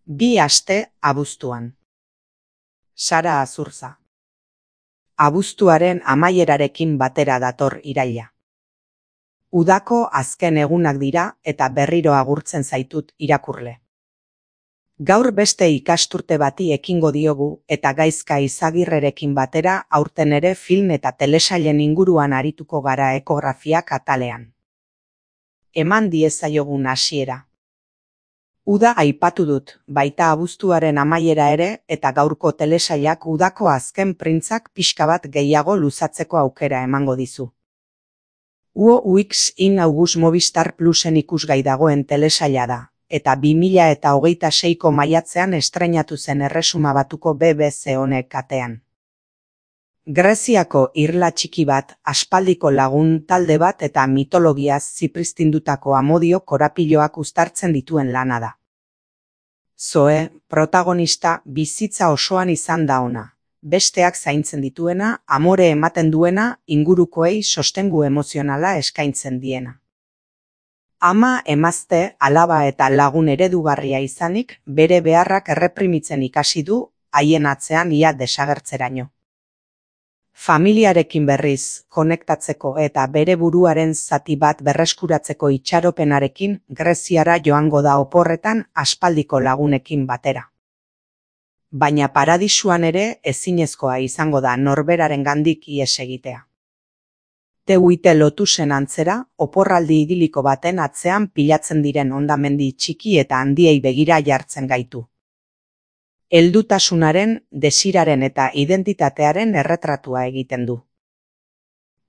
2 aste abuztuan. Sara Azurza. Abuztuaren amaierarekin batera dator iraila. Udako azken egunak dira eta berriro agurtzen zaitut irakurle. Gaur beste ikasturte bati ekingo diogu eta Gaizka Izagirrerekin batera aurten ere film eta telesailen inguruan arituko gara ekografiak atalean. Eman diezaiogun hasiera. Uda aipatu dut, baita abuztuaren amaiera ere eta gaurko telesailak udako azken printzak pixka bat gehiago luzatzeko aukera emango dizu. UX in August Movistar Plusen ikusgai dagoen telesaila da, eta 2026ko maiatzean estreinatu zen Erresuma Batuko BBC honek katean. Greziako irla txiki bat, aspaldiko lagun talde bat eta mitologiaz zipristindutako amodio korapiloak uztartzen dituen lana da. Zoe, protagonista, bizitza osoan izan da ona. Besteak zaintzen dituena, amore ematen duena, ingurukoei sostengu emozionala eskaintzen diena. Ama, emazte, alaba eta lagun eredugarria izanik, bere beharrak erreprimitzen ikasi du, haien atzean ia desagertzeraino. Familiarekin berriz, konektatzeko eta bere buruaren zati bat berreskuratzeko itxaropenarekin Greziara joango da oporretan aspaldiko lagunekin batera. Baina paradisuan ere ezinezkoa izango da norberarengandik ihes egitea. Teuite Lotusen antzera, oporraldi idiliko baten atzean pilatzen diren hondamendi txiki eta handiei begira jartzen gaitu. Heldutasunaren, desiraren eta identitatearen erretratua egiten du.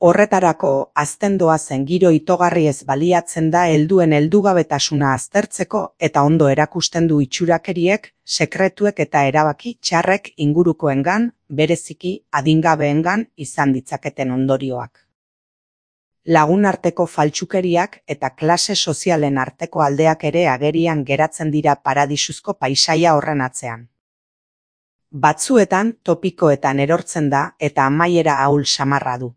Horretarako, azten doazen giro itogarriez baliatzen da helduen heldugabetasuna aztertzeko eta ondo erakusten du itxurakeriek, sekretuek eta erabaki txarrek ingurukoengan, bereziki adingabeengan izan ditzaketen ondorioak. Lagunarteko faltsukeriak eta klase sozialen arteko aldeak ere agerian geratzen dira paradisuzko paisaia horren atzean. Batzuetan topikoetan erortzen da eta amaiera ahul samarra du.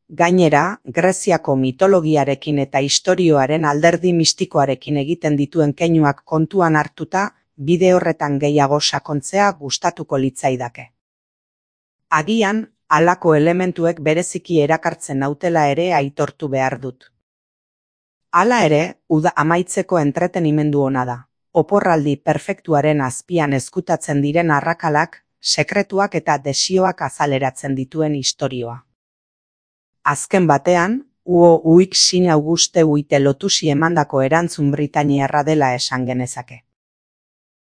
Gainera, Greziako mitologiarekin eta istorioaren alderdi mistikoarekin egiten dituen keinuak kontuan hartuta, bide horretan gehiago sakontzea gustatuko litzaidake. Agian, halako elementuek bereziki erakartzen nautela ere aitortu behar dut. Hala ere, uda amaitzeko entretenimendu ona da. Oporraldi perfektuaren azpian ezkutatzen diren arrakalak, sekretuak eta desioak azaleratzen dituen istorioa. Azken batean, UX in Auguste Lotusi emandako erantzun britainiarra dela esan genezake.